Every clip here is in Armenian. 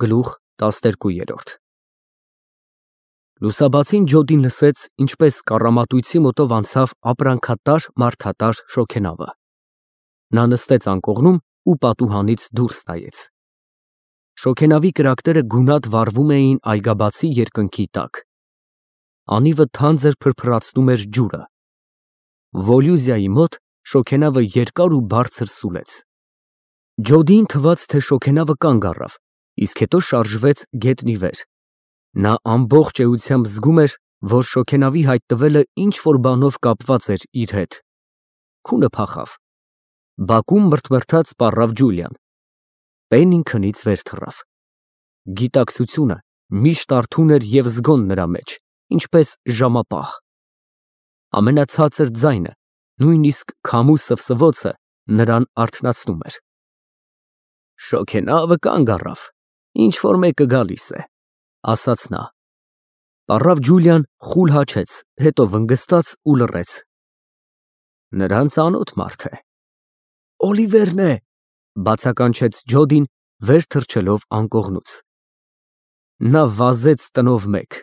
Գլուխ 12 Լուսաբացին Ջոդին լսեց, ինչպես կառամատույցի մոտով անցավ ապրանքատար մարդատար շոգենավը։ Նա նստեց անկողնում ու պատուհանից դուրս նայեց։ Շոգենավի կրակները գունատ վառվում էին այգաբացի երկնքի տակ։ Անիվը թանձր փրփրացնում էր ջուրը։ Վոլյուզիայի մոտ շոգենավը երկար ու բարձր սուլեց։ Ջոդիին թվաց, թե շոգենավը կանգ առավ, իսկ հետո շարժվեց գետնի վեր։ Նա ամբողջ էությամբ զգում էր, որ շոգենավի հայտնվելը ինչ-որ բանով կապված էր իր հետ։ Քունը փախավ։ Բակում մրթմրթաց սպառավ Ջուլիան։ Պեննին քնից վեր թռավ։ Գիտակցությունը միշտ արթուն էր և զգոն նրա մեջ, ինչպես ժամապահ։ Ամենացածր ձայնը, նույնիսկ քամու սվսվոցը նրան արթնացնում էր։ Շոգենավը կանգ առավ, ինչ֊որ մեկը գալիս է, ասաց նա։ Պառավ Ջուլիան խուլ հաչեց, հետո վնգստաց ու լռեց։ Նրան ծանոթ մարդ է։ Օլիվերն է, բացականչեց Ջոդին, վեր թռչելով անկողնուց։ Նա վազեց տնով մեկ։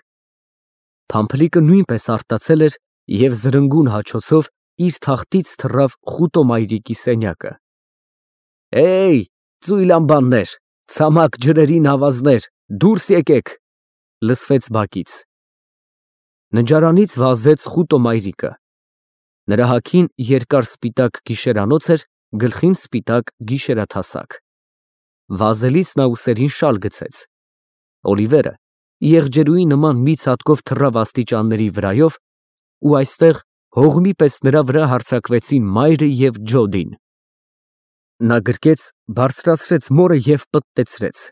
Փամփլիկը նույնպես արտացել էր և զրնգուն հաչոցով իր թախտից թռավ խուտո մայրիկի սենյակը։ Ծույլ անբաններ, ցամաք ջրերի նավազներ, դուրս եկեք, լսվեց բակից։ Նջարանից վազեց խուտո մայրիկը։ Նրա հագին երկար սպիտակ գիշերանոց էր, գլխին սպիտակ գիշերաթասակ։ Վազելիս նա ուսերին շալ գցեց։ Օլիվերը եղջերուի նման մի ցատկով թռավ աստիճանների վրայով, ու այստեղ հողմի պես նրա վրա հարձակվեցին մայրը և Ջոդին։ Նա գրկեց, բարձրացրեց մորը և պտտեցրեց։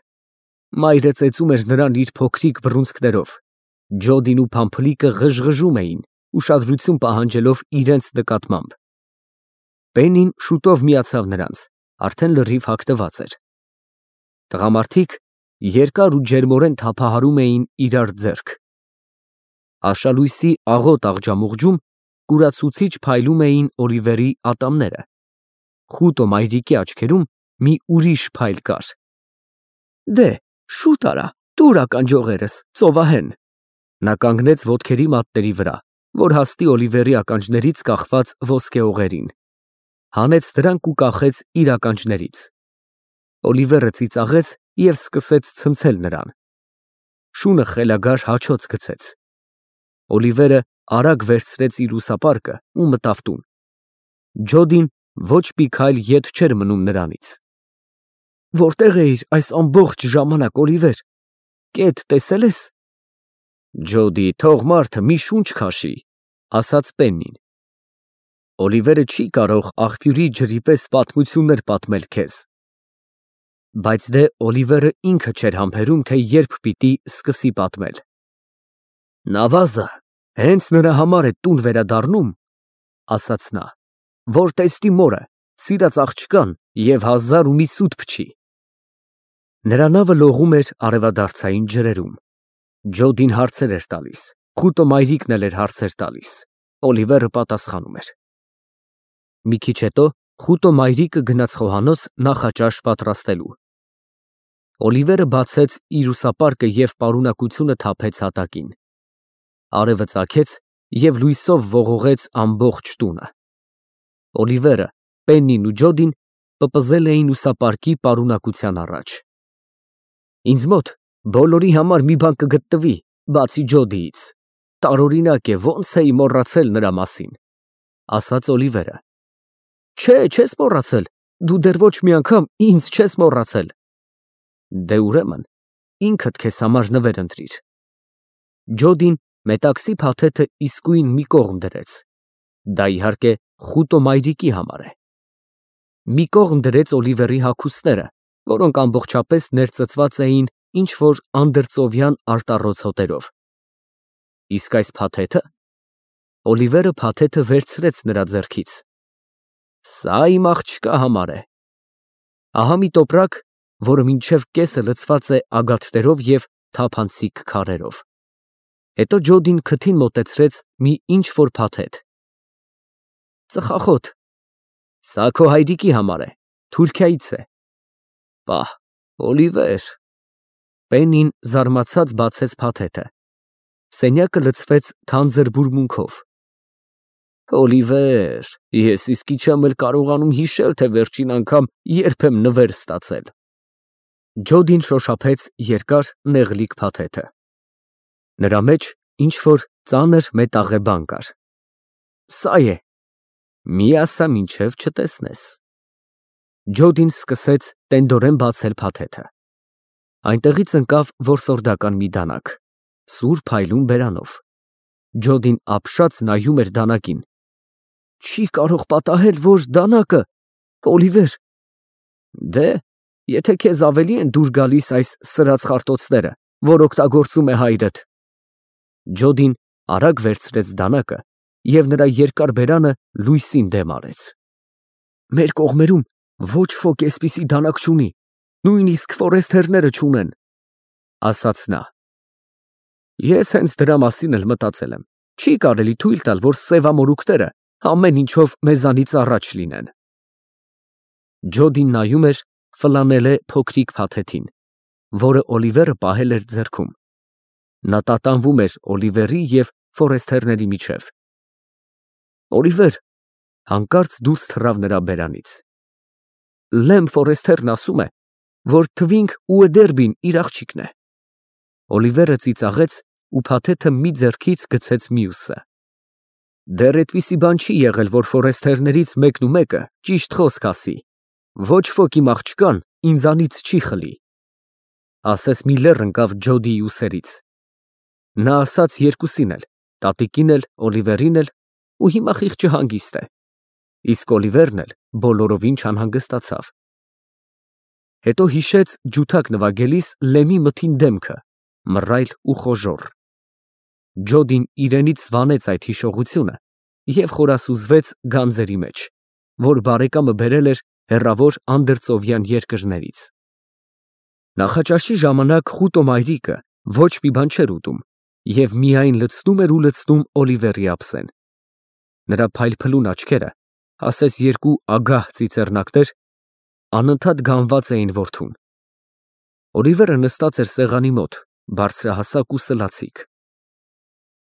Մայրը ծեծում էր նրան իր փոքրիկ բռունցքներով։ Ջոդին ու Փամփլիկը ղժղժում էին, ուշադրություն պահանջելով իրենց նկատմամբ։ Պեննին շուտով միացավ նրանց, արդեն լրիվ հագնված էր։ Տղամարդիկ երկար ու ջերմորեն թափահարում էին իրար ձեռք։ Աշալույսի աղոտ աղջամուղջում կուրացուցիչ փայլում էին Օլիվերի ատամները։ Խուտո մայրիկի աչքերում մի ուրիշ փայլ կար։ Շուտ արա, տուր ականջողերս, ծովահեն։ Նա կանգնեց ոտքերի մատների վրա, որ հասնի Օլիվերի ականջներից կախված ոսկեհողերին։ Հանեց դրանք ու կախեց իր ականջներից։ Օլիվերը ծիծաղեց և սկսեց ցնցել նրան։ Շունը խելագար հաչոց գցեց։ Օլիվերը արագ վերցրեց իր ուսապարկը ու մտավ տուն։ Ջոդին ոչ մի քայլ ետ չէր մնում նրանից։ Որտե՞ղ էիր այս ամբողջ ժամանակ, Օլիվեր, կետ տեսե՞լ ես։ Ջոդի, թող մարդը մի շունչ քաշի, ասաց Պեննին։ Օլիվերը չի կարող աղբյուրի ջրի պես պատմություններ պատմել քեզ։ Բայց դե Օլիվերը ինքը չէր համբերում, թե երբ պիտի սկսի պատմել։ Նավազը հենց նրա համար է տուն վերադառնում, ասաց նա, որ տեսնի մորը, սիրած աղջկան և 1000 ու մի սուտ փչի։ Նրա նավը լողում էր արևադարձային ջրերում։ Ջոդին հարցեր էր տալիս, խուտո մայրիկն էլ էր հարցեր տալիս։ Օլիվերը պատասխանում էր։ Մի քիչ հետո խուտո մայրիկը գնաց խոհանոց նախաճաշ պատրաստելու։ Օլիվերը բացեց իր ուսապարկը և պարունակությունը թափեց հատակին։ Արևը ծագեց և լույսով ողողեց ամբողջ տունը։ Օլիվերը, Պեննին ու Ջոդին պպզել էին ուսապարկի պարունակության առաջ։ Ինձ մոտ բոլորի համար մի բան կգտնվի, բացի Ջոդիից։ Տարօրինակ է, ոնց էի մոռացել նրա մասին, ասաց Օլիվերը։ Չես մոռացել, դու դեռ ոչ մի անգամ ինձ չես մոռացել։ Դե ուրեմն ինքդ քեզ համար նվեր ընտրիր։ Ջոդին մետաքսի փաթեթը իսկույն մի կողմ դրեց։ Դա իհարկե խուտո մայրիկի համար է։ Մի կողմ դրեց Օլիվերի հագուստները, որոնք ամբողջապես ներծծված էին ինչ-որ անդրծովյան արտառոց հոտերով։ Իսկ այս փաթեթը։ Օլիվերը փաթեթը վերցրեց նրա ձեռքից։ Սա իմ աղջկա համար է։ Ահա մի տոպրակ, որը մինչև կեսը լցված է ագաթներով և թափանցիկ քարերով։ Հետո Ջոդին քթին մոտեցրեց մի ինչ֊որ փաթեթ։ Ծխախոտ։ Սա քո հայրիկի համար է, Թուրքիայից է։ Պահ, Օլիվեր, Պեննին զարմացած բացեց փաթեթը։ Սենյակը լցվեց թանձր բուրմունքով։ Օլիվեր, ես իսկի չեմ էլ կարողանում հիշել, թե վերջին անգամ երբ եմ նվեր ստացել։ Ջոդին շոշափեց երկար նեղլիկ փաթեթը։ Նրա մեջ ինչ-որ ծանր մետաղե բան կար։ Սա է։ Մի ասա մինչև չտեսնես։ Ջոդին սկսեց տենդորեն բացել փաթեթը։ Այնտեղից ընկավ որսորդական մի դանակ, սուր փայլուն բերանով։ Ջոդին ապշած նայում էր դանակին։ Չի կարող պատահել, որ դանակը, Օլիվեր։ Դե, եթե քեզ ավելի են դուր գալիս այս սրած խարտոցները, որ օգտագործում է հայրդ։ Ջոդին արագ վերցրեց դանակը և նրա երկար բերանը լույսին դեմ արեց։ Մեր կողմերում ոչ ոք էսպիսի դանակ չունի, նույնիսկ ֆորեստերները չունեն, ասաց նա։ Ես հենց դրա մասին էլ մտածել եմ։ Չի կարելի թույլ տալ, որ սևամորուքները ամեն ինչով մեզանից առաջ լինեն։ Ջոդին նայում էր ֆլանելե փոքրիկ փաթեթին, որը Օլիվերը պահել էր ձեռքում։ Նա տատանվում էր Օլիվերի և ֆորեստերների միջև։ Օլիվեր, հանկարծ դուրս թռավ նրա բերանից։ Լեմ Ֆորեստերն ասում է, որ Թվինք Ուեդերբին իր աղջիկն է։ Օլիվերը ծիծաղեց ու փաթեթը մի ձեռքից գցեց մյուսը։ Դեռ այդպիսի բան չի եղել, որ ֆորեստերներից մեկն ու մեկը ճիշտ խոսք ասի։ Ոչ ոք իմ աղջկան ինձանից չի խլի։ Ասես մի լեռ ընկավ Ջոդիի ուսերից։ Նա ասաց երկուսին էլ, տատիկին էլ, Օլիվերին էլ, ու հիմա խիղճը հանգիստ է։ Իսկ Օլիվերն էլ բոլորովին չանհանգստացավ։ Հետո հիշեց ջութակ նվագելիս Լեմի մթին դեմքը, մռայլ ու խոժոռ։ Ջոդին իրենից վանեց այդ հիշողությունը և խորասուզվեց գանձերի մեջ, որ բարեկամը բերել էր հեռավոր անդրծովյան երկրներից։ Նախաճաշի ժամանակ խուտո մայրիկը ոչ մի բան չէր ուտում և միայն լցնում էր ու լցնում Օլիվերի ափսեն։ Նրա փայլփլուն աչքերը, ասես երկու ագահ ծիծեռնակներ, անընդհատ գանված էին որդուն։ Օլիվերը նստած էր սեղանի մոտ, բարձրահասակ ու սլացիկ։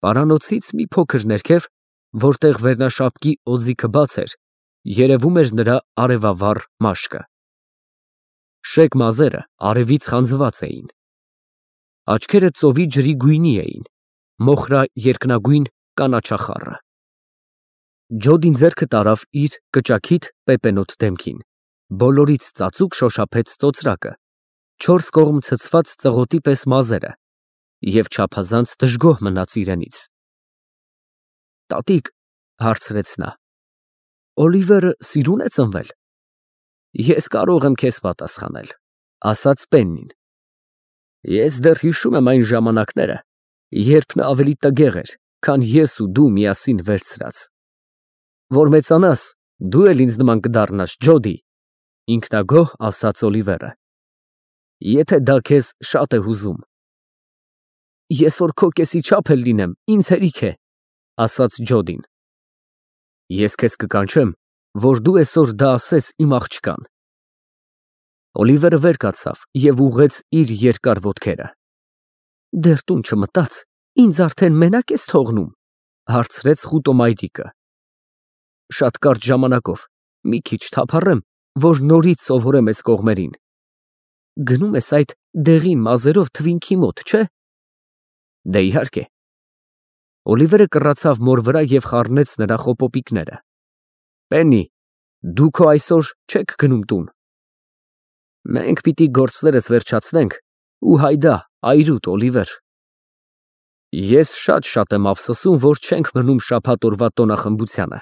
Պարանոցից մի փոքր ներքև, որտեղ վերնաշապկի օձիքը բաց էր, երևում էր նրա արևավառ մաշկը։ Շեկ մազերը արևից խանձված էին։ Աչքերը ծովի ջրի գույնի էին, մոխրա երկնագույն կանաչախառը։ Ջոդին ձեռքը տարավ իր կճաքիթ պեպենոտ դեմքին, բոլորից ծածուկ շոշափեց ծոծրակը, չորս կողմ ցցված ծղոտի պես մազերը և չափազանց դժգոհ մնաց իրենից։ Տատիկ, հարցրեց նա, Օլիվերը սիրուն է ծնվել։ Ես կարող եմ քեզ պատասխանել, ասաց Պեննին։ Ես դեռ հիշում եմ այն ժամանակները, երբ նա ավելի տգեղ էր, քան ես ու դու միասին վերցրած։ Որ մեծանաս, դու էլ ինձ նման կդառնաս, Ջոդի, ինքնագոհ ասաց Օլիվերը։ Եթե դա քեզ շատ է հուզում։ Ես որ քո կեսի չափ էլ լինեմ, ինձ հերիք է, ասաց Ջոդին։ Ես քեզ կկանչեմ, որ դու այսօր դա ասես իմ աղջկան։ Օլիվերը վեր կացավ և ուղղեց իր երկար ոտքերը։ Դեռ տուն չմտած, ինձ արդեն մենակ ես թողնում, հարցրեց խուտո մայրիկը։ Շատ կարճ ժամանակով, մի քիչ թափառեմ, որ նորից սովորեմ այս կողմերին։ Գնում ես այդ դեղին մազերով Թվինքի մոտ, չէ։ Դե իհարկե։ Օլիվերը կռացավ մոր վրա և խառնեց նրա խոպոպիկները։ Պեննի, դու քո այսօր չեք գնում տուն։ Մենք պիտի գործներս վերջացնենք ու հայդա, այրուտ, Օլիվեր։ Ես շատ եմ ափսոսում, որ չենք մնում շաբաթ օրվա տոնախմբությանը։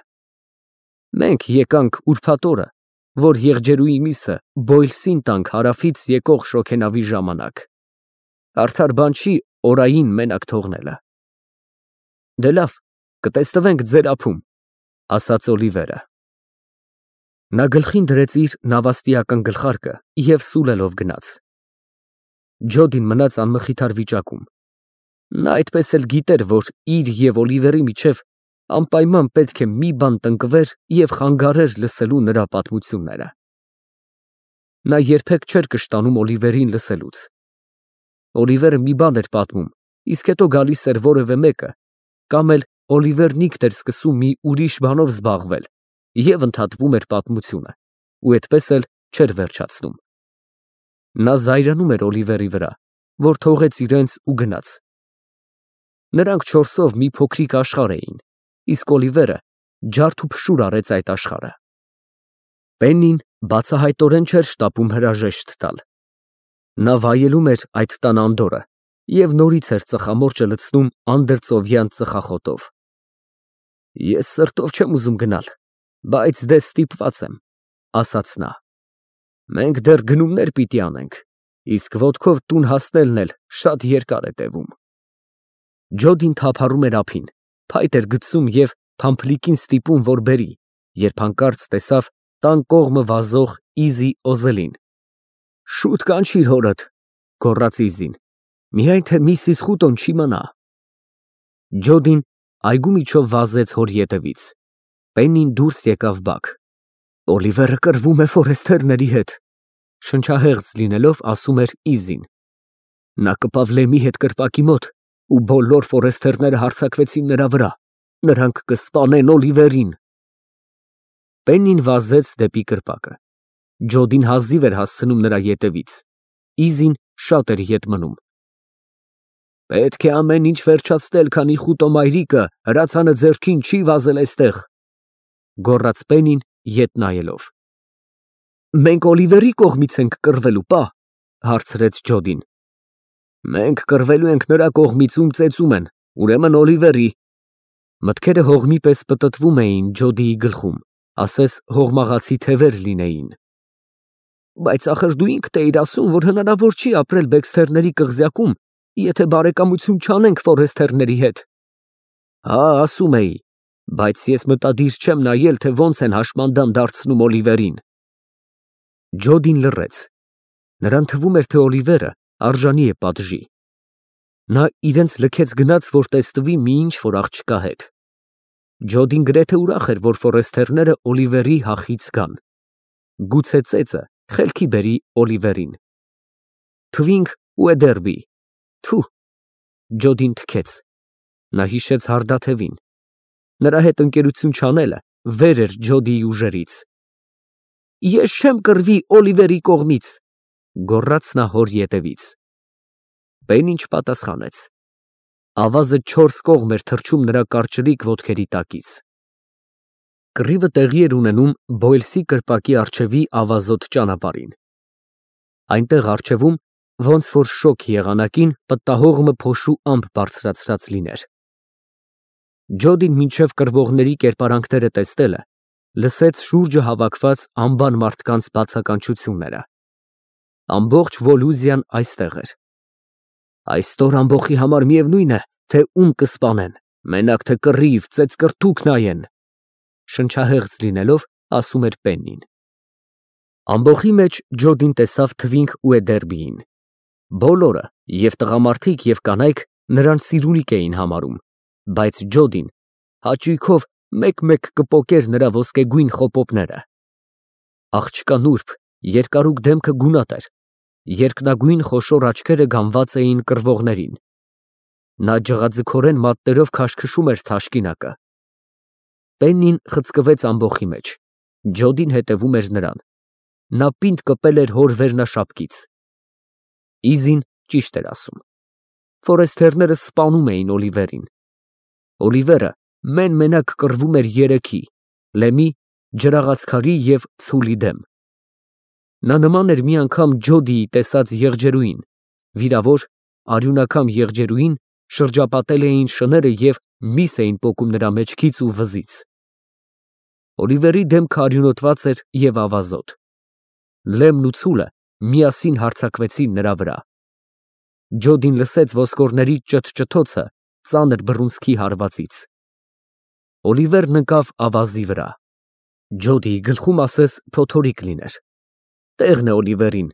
Մենք եկանք ուրբաթ օրը, որ եղջերուի միսը Բոյլսին տանք հարավից եկող շոգենավի ժամանակ։ Արդար բան չի օրային մենակ թողնելը։ Դե լավ, կտեսնվենք ձեր ափում, ասաց Օլիվերը։ Նա գլխին դրեց իր նավաստիական գլխարկը և սուլելով գնաց։ Ջոդին մնաց անմխիթար վիճակում։ Նա այդպես էլ գիտեր, որ իր և Օլիվերի միջև անպայման պետք է մի բան տնկվեր և խանգարեր լսելու նրա պատմությունները։ Նա երբեք չէր կշտանում Օլիվերին լսելուց։ Օլիվերը մի բան էր պատմում, իսկ հետո գալիս էր որևէ մեկը, կամ էլ Օլիվերն ինքն էր սկսում մի ուրիշ բանով զբաղվել և ընդհատվում էր պատմությունը, ու այդպես էլ չէր վերջացնում։ Նա զայրանում էր Օլիվերի վրա, որ թողեց իրենց ու գնաց։ Նրանք չորսով մի փոքրիկ աշխարհ էին, իսկ Օլիվերը ջարդ ու փշուր արեց այդ աշխարհը։ Պեննին բացահայտորեն չէր շտապում հրաժեշտ տալ։ Նա վայելում էր այդ տան անդորրը և նորից էր ծխամորճը լցնում անդրծովյան ծխախոտով։ Ես սրտով չեմ ուզում գնալ, բայց դե ստիպված եմ, ասաց նա։ Մենք դեռ գնումներ պիտի անենք, իսկ ոտքով տուն հասնելն էլ շատ երկար է տևում։ Ջոդին թափառում էր ափին, փայտ էր գցում և փամփլիկին ստիպում, որ բերի, երբ հանկարծ տեսավ տան կողմը վազող Իզի Օզելին։ Շուտ կանչիր հորդ, գոռաց Իզին, միայն թե միսիս Խուտոն չիմանա։ Ջոդին այգու միջով վազեց հոր ետևից։ Պեննին դուրս եկավ բակ։ Օլիվերը կռվում է Ֆորեսթերների հետ, շնչահեղձ լինելով ասում էր Իզին։ Նա կպավ Լեմի հետ կրպակի մոտ, ու բոլոր Ֆորեսթերները հարձակվեցին նրա վրա, նրանք կսպանեն Օլիվերին։ Պեննին վազեց դեպի կրպակը։ Ջոդին հազիվ էր հասցնում նրա ետևից, Իզին շատ էր ետ մնում։ Պետք է ամեն ինչ վերջացնել, քանի Խուտո մայրիկը հրացանը ձեռքին չի վազել այստեղ, գոռաց Պեննին ետ նայելով։ Մենք Օլիվերի կողմից ենք կռվելու, պա, հարցրեց Ջոդին։ Մենք կռվելու ենք նրա կողմից, ում ծեծում են, ուրեմն Օլիվերի։ Մտքերը հողմի պես պտտվում էին Ջոդիի գլխում, ասես հողմաղացի թևեր լինեին։ Բայց ախր դու ինքդ էիր ասում, որ հնարավոր չի ապրել Բեքսթերների կղզյակում, եթե բարեկամություն չանենք Ֆորեսթերների հետ։ Հա, ասում էի, բայց ես մտադիր չեմ նայել, թե ոնց են հաշմանդամ դարձնում Օլիվերին։ Ջոդին լռեց։ Նրան թվում էր, թե Օլիվերը արժանի է պատժի։ Նա իրենց լքեց գնաց, որ տեսնվի մի ինչ-որ աղջկա հետ։ Ջոդին գրեթե ուրախ էր, որ Ֆորեսթերները Օլիվերի հախից գան։ Գուցե ծեծը խելքի բերի Օլիվերին։ Թվինք ու Էդերբի։ Թու։ Ջոդին թքեց։ Նա հիշեց Հարդաթևին։ Նրա հետ ընկերություն չանելը վեր էր Ջոդիի ուժերից։ Ես չեմ կռվի Օլիվերի կողմից, գոռաց նա հոր ետևից։ Պեննին չպատասխանեց։ Ավազը 4 կողմ էր թռչում նրա կարճրիկ ոտքերի տակից։ Կռիվը տեղի էր ունենում Բոյլսի կրպակի առջևի ավազոտ ճանապարհին։ Այնտեղ առջևում, ոնց որ շոգ եղանակին, պտտահողմը փոշու ամպ բարձրացրած լիներ։ Ջոդին մինչև կռվողների կերպարանքները տեսնելը, լսեց շուրջը հավաքված անբան մարդկանց բացականչությունները։ Ամբողջ Վոլուզիան այստեղ էր։ Այսօր ամբողի համար միևնույն է, թե ում կսպանեն, մենակ թե կռիվ, ծեծկռթուք նայեն, շնչահեղձ լինելով ասում էր Պեննին։ Ամբոխի մեջ Ջոդին տեսավ Թվինք ու Էդերբիին։ Բոլորը, և տղամարդիկ, և կանայք նրան սիրունիկ էին համարում, բայց Ջոդին հաճույքով մեկ-մեկ կպոկեր նրա ոսկեգույն խոպոպները։ Աղջկա նուրբ, երկարուկ դեմքը գունատ էր, երկնագույն խոշոր աչքերը գանված էին կռվողներին։ Նա ջղաձգորեն մատներով քաշքշում էր թաշկինակը։ Պեննին խցկվեց ամբոխի մեջ։ Ջոդին հետևում էր նրան։ Նա պինդ կպել էր հոր վերնաշապկից։ Իզին ճիշտ էր ասում։ Ֆորեսթերները սպանում էին Օլիվերին։ Օլիվերը մեն֊մենակ կռվում էր երեքի՝ Լեմի, ջրաղացքարի և ցուլի դեմ։ Նա նման էր մի անգամ Ջոդիի տեսած եղջերուին, վիրավոր, արյունակամ եղջերուին, շրջապատել էին շները և միս էին պոկում նրա մեջքից ու վզից։ Օլիվերի դեմքը արյունոտված էր և ավազոտ։ Լեմն ու ցուլը միասին հարձակվեցին նրա վրա։ Ջոդին լսեց ոսկորների ճթճթոցը ծանր բռունցքի հարվածից։ Օլիվերն ընկավ ավազի վրա։ Ջոդիի գլխում ասես փոթորիկ լիներ։ Տեղն է Օլիվերին,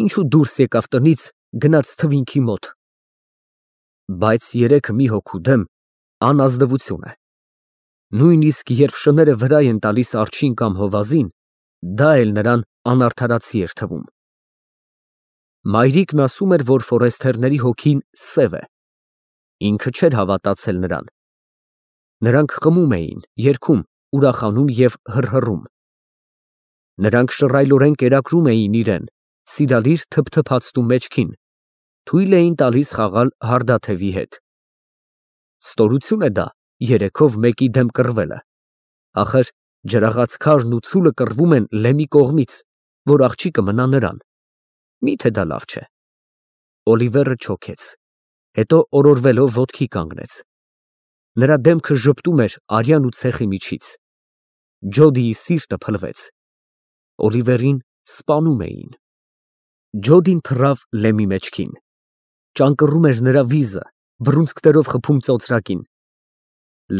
ինչու դուրս եկավ տնից, գնաց Թվինքի մոտ։ Բայց երեքը մի հոգու դեմ անազնվություն է։ Նույնիսկ երբ շները վրա են տալիս արջին կամ հովազին, դա էլ նրան անարդարացի էր թվում։ Մայրիկն ասում էր, որ ֆորեսթերների հոգին սև է։ Ինքը չէր հավատացել նրան։ Նրանք խմում էին, երգում, ուրախանում և հռհռում։ Նրանք շռայլորեն կերակրում էին իրեն, սիրալիր թփթփացնում մեջքին, թույլ էին տալիս խաղալ հարդաթևի հետ։ Ստորություն է դա երեքով մեկի դեմ կռվելը։ Ախր ջրաղաց քարն ու ցուլը կռվում են Լեմի կողմից, որ աղջիկը մնա նրան։ Միթե դա լավ չէ։ Օլիվերը չոքեց, հետո օրորվելով ոտքի կանգնեց։ Նրա դեմքը ժպտում էր արյան ու ցեխի միջից։ Ջոդիի սիրտը փլվեց։ Օլիվերին սպանում էին։ Ջոդին թռավ Լեմի մեջքին։ Ճանկռում էր նրա վիզը, բռունցքներով խփում ծոծրակին։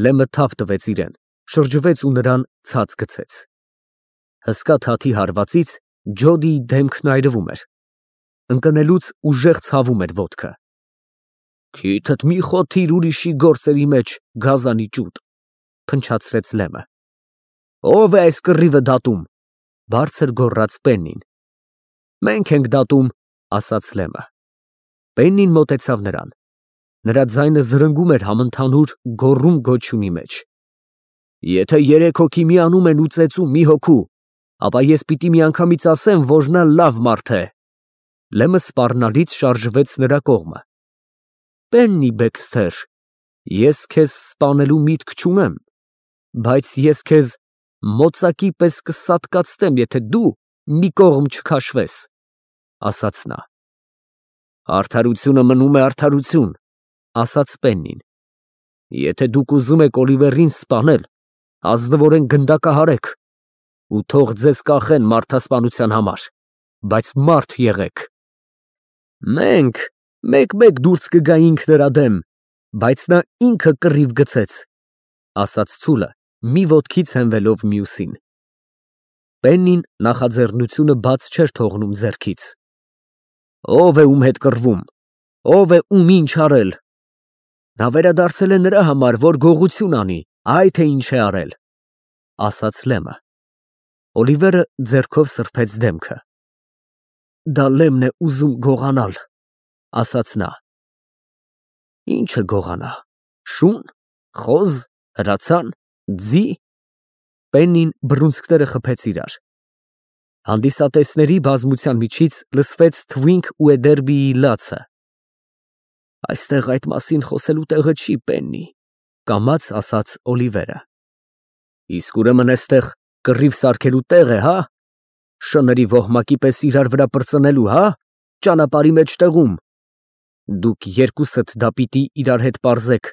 Լեմը թափ տվեց իրեն, շրջվեց ու նրան ցած գցեց։ Հսկա թաթի հարվածից Ջոդիի դեմքն այրվում էր։ Ընկնելուց ուժեղ ցավում էր ոտքը։ Քիթդ մի խոթիր ուրիշի գործերի մեջ, գազանի ճուտ, փնչացրեց Լեմը։ Ո՞վ է այս կռիվը դատում, բարձր գոռաց Պեննին։ Մենք ենք դատում, ասաց Լեմը։ Պեննին մոտեցավ նրան։ Նրա ձայնը զրնգում էր համընդհանուր գոռում֊գոչյունի մեջ։ Եթե երեք հոգի միանում են ու ծեծում մի հոգու, ապա ես պիտի միանգամից ասեմ, որ նա լավ մարդ է։ Լեմը սպառնալից շարժվեց նրա կողմը։ Պեննի Բեքսթեր, ես քեզ սպանելու միտք չունեմ, բայց ես քեզ մոծակի պես կսատկացնեմ, եթե դու մի կողմ չքաշվես, ասաց նա։ Արդարությունը մնում է արդարություն, ասաց Պեննին։ Եթե դուք ուզում եք Օլիվերին սպանել, ազնվորեն գնդակահարեք ու թող ձեզ կախեն մարդասպանության համար, բայց մարդ եղեք։ Մենք մեկ-մեկ դուրս կգայինք նրա դեմ, բայց նա ինքը կռիվ գցեց, ասաց ցուլը, մի ոտքից հենվելով մյուսին։ Պեննին նախաձեռնությունը բաց չէր թողնում ձեռքից։ Ո՞վ է ում հետ կռվում, ո՞վ է ում ինչ արել։ Նա վերադարձել է նրա համար, որ գողություն անի, այ թե ինչ է արել, ասաց Լեմը։ Օլիվերը ձեռքով սրբեց դեմքը։ Դա Լեմն է ուզում գողանալ, ասաց նա։ Ինչը գողանա, շուն, խոզ, հրացան, ձի։ Պեննին բռունցքները խփեց իրար։ Հանդիսատեսների բազմության միջից լսվեց Թվինք ու Էդերբիի լացը։ Այստեղ այդ մասին խոսելու տեղը չի, Պեննի, կամաց ասաց Օլիվերը։ Իսկ ուրեմն էստեղ կռիվ սարքելու տեղ է, հա։ Շների ոհմակի պես իրար վրա պրծնելու, հա, ճանապարհի մեջտեղում։ Դուք երկուսդ դա պիտի իրար հետ պարզեք,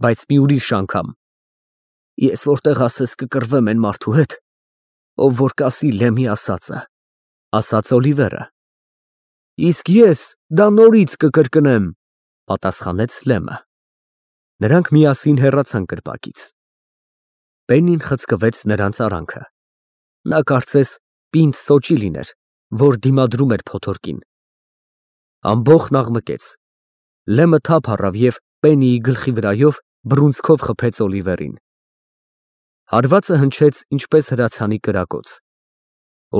բայց մի ուրիշ անգամ։ Ես որտեղ ասես կկռվեմ այն մարդու հետ, ով որ կասի Լեմի ասածը, ասաց Օլիվերը։ Իսկ ես դա նորից կկրկնեմ, պատասխանեց Լեմը։ Նրանք միասին հեռացան կրպակից։ Պեննին խցկվեց նրանց արանքը։ Նա կարծես պինդ սոճի լիներ, որ դիմադրում էր փոթորկին։ Ամբոխն աղմկեց։ Լեմը թափ առավ և Պեննիի գլխի վրայով բռունցքով խփեց Օլիվերին։ Հարվածը հնչեց ինչպես հրացանի կրակոց։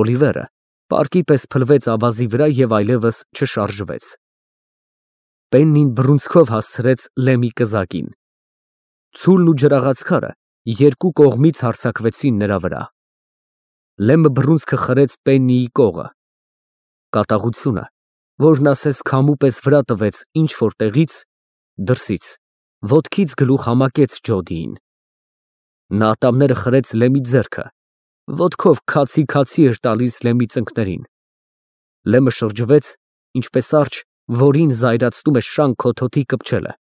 Օլիվերը պարկի պես փլվեց ավազի վրա և այլևս չշարժվեց։ Պեննին բռունցքով հասցրեց Լեմի կզակին։ Ցուլն ու ջրաղացքարը երկու կողմից հարձակվեցին նրա վրա։ Լեմը բռունցքը խրեց Պեննիի կողը։ Կատաղությունը, որն ասես քամու պես վրա տվեց ինչ-որ տեղից, դրսից, ոտքից գլուխ համակեց Ջոդիին։ Նա ատամները խրեց Լեմի ձեռքը, ոտքով քացի էր տալիս Լեմի ծնկներին։ Լեմը շրջվեց, ինչպես արջ, որին զայրացնում է շան քոթոթի կպչելը,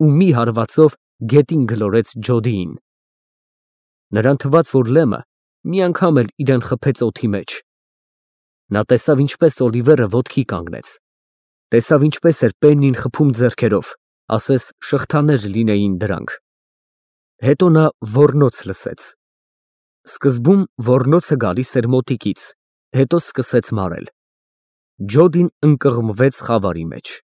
ու մի հարվածով գետին գլորեց Ջոդիին։ Նրան թվաց, որ Լեմը մի անգամ էլ իրան խփեց օդի մեջ։ Նա տեսավ, ինչպես Օլիվերը ոտքի կանգնեց, տեսավ, ինչպես էր Պեննին խփում ձեռքերով, ասես շղթաներ լինեին դրանք։ Հետո նա ոռնոց լսեց։ Սկզբում ոռնոցը գալիս էր մոտիկից, հետո սկսեց մարել։ Ջոդին ընկղմվեց խավարի մեջ։